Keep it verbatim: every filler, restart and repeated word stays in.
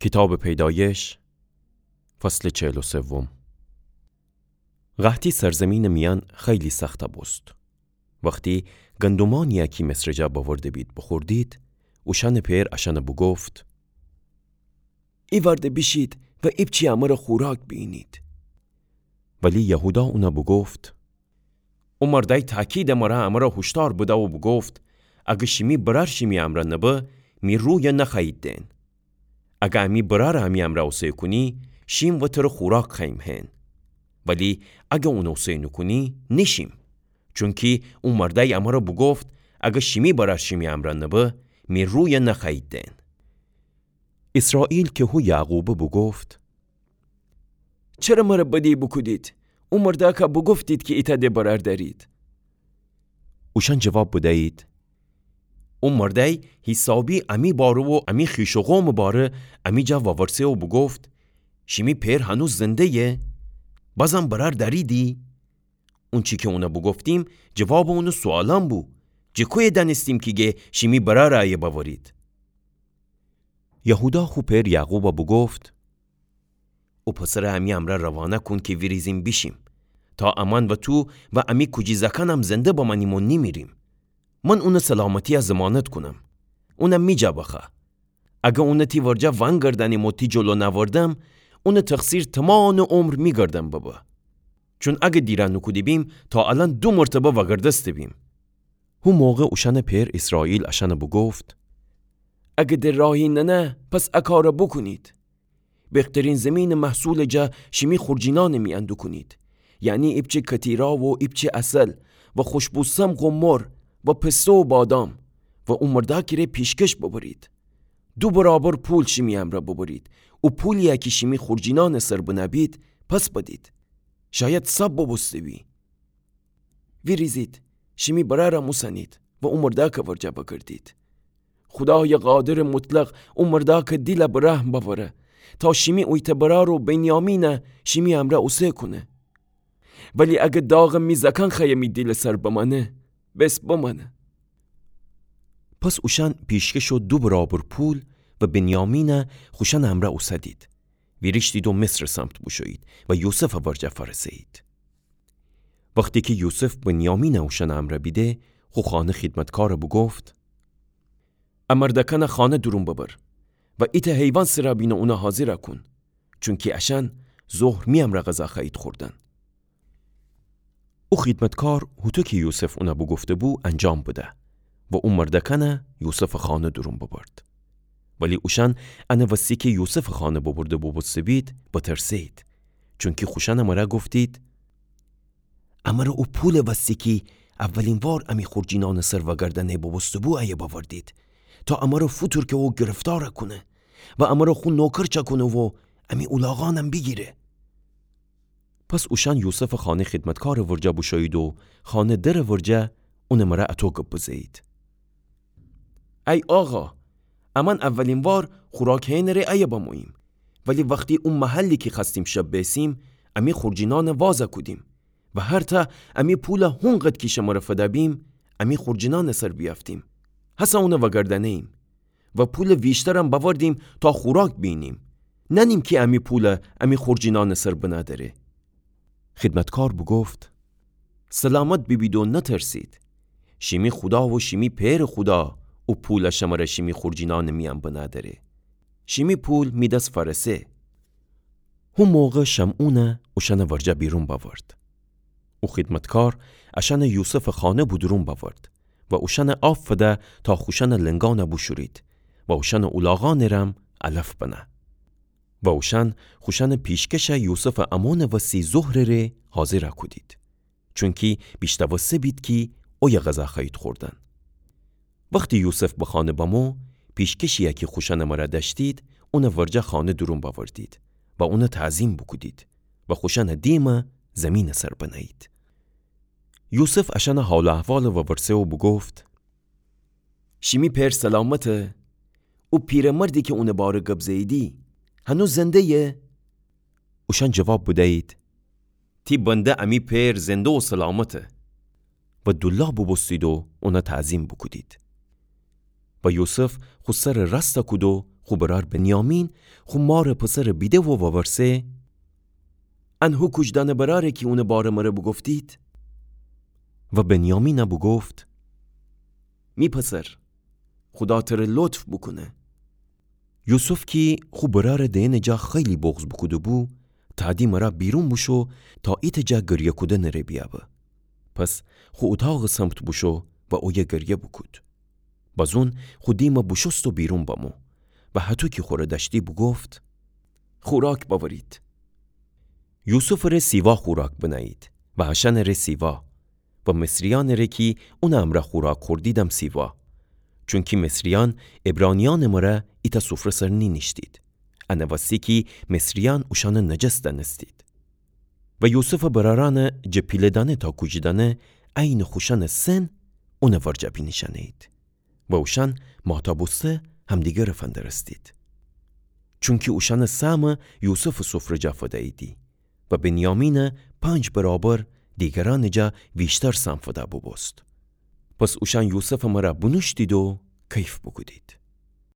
کیتابٚ پیدایش، فصلٚ چهل و سوم. قحطی سرزیمینٚ میأن خیلی سخت بوست. وختی گندمأنی کی مصرٚ جا بأورده بید بوخوردید، اوشأنٚ پئر اشأن بوگفت: ایوأرده بیشید و ایپچی امر خوراک بیینید. ولی یهودا اون بوگفت: او مردأی تأکیدٚ مر امر هوشدار بده و بوگفت: اگر شیمی برأر شیمی امر نبه، می روی نخوأیید دئن. اگر امی برأر امی امر اوسه کونی، شیم و تر خوراک خوأییم هئن. ولی اگر اون اوسه نوکونی، نیشیم. چونکی او مردأی امر بوگفت: اگر شیمی برأر شیمی امر نبه، می روی نخوأیید دئن. ایسرائیل کی هو یعقوبه بوگفت: چره مر بدی بوکودید؟ او مردأک بوگفتید کی ایتأ د برأر دأرید. اوشأن جواب بدیید: او مردأی حیسابی امی باره و امی خویش و قومٚ باره امی جا وورسه و بوگفت: شیمی پئر هنوز زنده‌یه؟ بازم برأر دأریدی؟ اونچی کی اون بوگفتیم جوابٚ اونٚ سوالأن بو. جٚه کویه دأنستیم کی گه شیمی برأر ایه بأورید؟ یهودا خو پئر یعقوب بوگفت: او پسر امی امر روانه کون کی ویریزیم بیشیم، تا امأن و تو و امی کوجی زأکأنم زنده بمأنیم و نیمیریم. من اونٚ سلامتی ضمانت کونم. اون می جا بخوأ. اگر اون تی ورجه ونگردأنیم و تی جلو نأوردم، اونٚ تقصیر تومانٚ عمر می گردن ببه. چون اگر دیره نوکوده بیم، تا الأن دو مرتبه وأگردسته بیم. هو موقع اوشأنٚ پئر ایسرائیل اشأن بوگفت: اگر د راهی ننه، پس ا کار بوکونید. بهترین زیمینٚ محصولٚ جا شیمی خورجینأنٚ میأن دوکونید، یعنی ایپچه کتیرا و ایپچه عسل و خوشبو سمق و مر و پسته و بادام، و او مردأکی ره پیشکش ببرید. دو برابر پول شیمی امرأ ببرید. او پولیی کی شیمی خورجینأنٚ سر بنه بید، پس بدید. شاید ساب بوبوسته بی. ویریزید، شیمی برأرم اوسنید و او مردأکٚ ورجه بگردید. خودایٚ قادرٚ مطلق او مردأکٚ دیل به رحم بأوره، تا شیمی اویتأ برأر و بنیامین شیمی امرأ اوسه کونه. ولی اگر داغٚ می زأکأن خوأیه می دیلٚ سر بمأنه، بس بمأنه. پس اوشأن پیشکشٚ دو برابر پول و بنیامین خوشأنٚ امرأ اوسدید. ویریشتید و مصرٚ سمت بوشویید و یوسفٚ ورجه فأرسه‌یید. وختی کی یوسف بنیامین اوشأنٚ امرأ بیده، خو خانه خیدمتکار بوگفت: ا مردأکأن خانه دورون ببر و ایتأ حیوان سر بین و اون حاضر کون، چونکی اشأن ظهر می امرأ غذا خوأیید خوردن. او خیدمتکار هوطو کی یوسف اون بوگفته‌بو انجام بده و او مردأکأن یوسفٚ خانه دورون ببرد. ولی اوشأن ان وستی کی یوسفٚ خانه ببرده بوبوسته بید، بترسه‌یید، چونکی خوشأنٚ مره گفتید: امر او پولٚ وستی کی اولین وار امی خورجینأنٚ سر وأگردأنه بوبوسته‌بو ایه بأوردید، تا امر فوتورکه و گرفتار کونه و امر خو نوکر چأکونه و امی اولاغأنم بیگیره. پس اوشأن یوسفٚ خانه خیدمتکارٚ ورجه بوشویید و خانه درٚ ورجه اونٚ مره اطو گب بزه‌یید: ای آقا، امأن اولین وار خوراک هئنٚ ره ایه بموییم، ولی وختی او محلی کی خوأستیم شب بیسیم، امی خورجینأن واز کودیم و هرتأ امی پول هونقد کی شمر فده بیم، امی خورجینأنٚ سر بیأفتیم، هسه اون وأگردأنه‌ییم و پولٚ ویشترم بأوردیم تا خوراک بینیم، نأنیم کی امی پول امی خورجینأنٚ سر بنه دأره. خیدمتکار بوگفت: سلامت بیبید و نترسید. شیمی خودا و شیمی پئرٚ خودا او پول شمر شیمی خورجینأنٚ میأن بنه دأره. شیمی پول می دس فأرسه. هو موقع شمعون اوشأنٚ ورجه بیرون بأورد. او خیدمتکار اشأن یوسفٚ خانه بودورون بأورد و اوشأن آب فده تا خوشأنٚ لنگأن بوشورید و اوشأنٚ اولاغأنٚ رم علف بنه. و اوشأن خوشأنٚ پیشکش یوسفٚ امونٚ وسی ظهرٚ ره حاضر کودید، چونکی بیشنوسته بید کی اویه غذا خوأیید خوردن. وختی یوسف به خانه بمو، پیشکشی کی خوشأنٚ مره دأشتید، اونٚ ورجه خانه دورون بأوردید و اون تعظیم بوکودید و خوشأنٚ دیم زیمینٚ سر بنه‌یید. یوسف اشأن حال و احوال وورسه و بوگفت: شیمی پئر سلامته؟ او پیره‌مردی کی اونٚ باره گب زه‌ییدی، هنوز زنده‌یه؟ اوشأن جواب بدیید: تی بنده امی پئر زنده و سلامته. و دولا بوبوستید و اون تعظیم بوکودید. و یوسف خو سر راست کود و خو برأر بنیامین خو مارٚ پسرٚ بیده و وورسه: ان هو کوجدأنه برأره کی اونٚ بارٚ مره بوگفتید؟ و بنیامین بوگفت: می پسر، خودا تره لطف بوکونه. یوسف کی خو برأرٚ دئنٚ جا خیلی بغض بوکوده‌بو، تأدی مرا بیرون بوشو تا ایتأ جا گریه کودنٚ ره بیأبه. پس خو اوتاقٚ سمت بوشو و اویه گریه بوکود. بازون خو دیمٚ بوشوست و بیرون بمو و هطو کی خوره دأشتی بوگفت: خوراک بأورید. یوسفٚ ره سیوا خوراک بنه‌یید و اشأنٚ ره سیوا و مصریأنٚ ره کی اونٚ امرأ خوراک خوردیدم سیوا. چونکی مصریأن عبرانیأنٚ مره ایتأ سفره سر نینیشتید. انٚ وستی کی مصریأن اوشأنٚ نجس دأنستید. و یوسفٚ برأرأنٚ جٚه پیله‌دأنه تا کوجدأنه عینٚ خوشأنٚ سن اونٚ ورجه بینیشأنه‌یید. و اوشأن ماتا بوسته همدیگره فندرستید. چونکی اوشأنٚ سهمٚ یوسفٚ سفره جا فدییدی و بنیامین پنج برابر دیگرأنٚ جا ویشتر سهم فده بوبوست. پس اوشأن یوسفٚ مره بونوشتید و کیف بوکودید.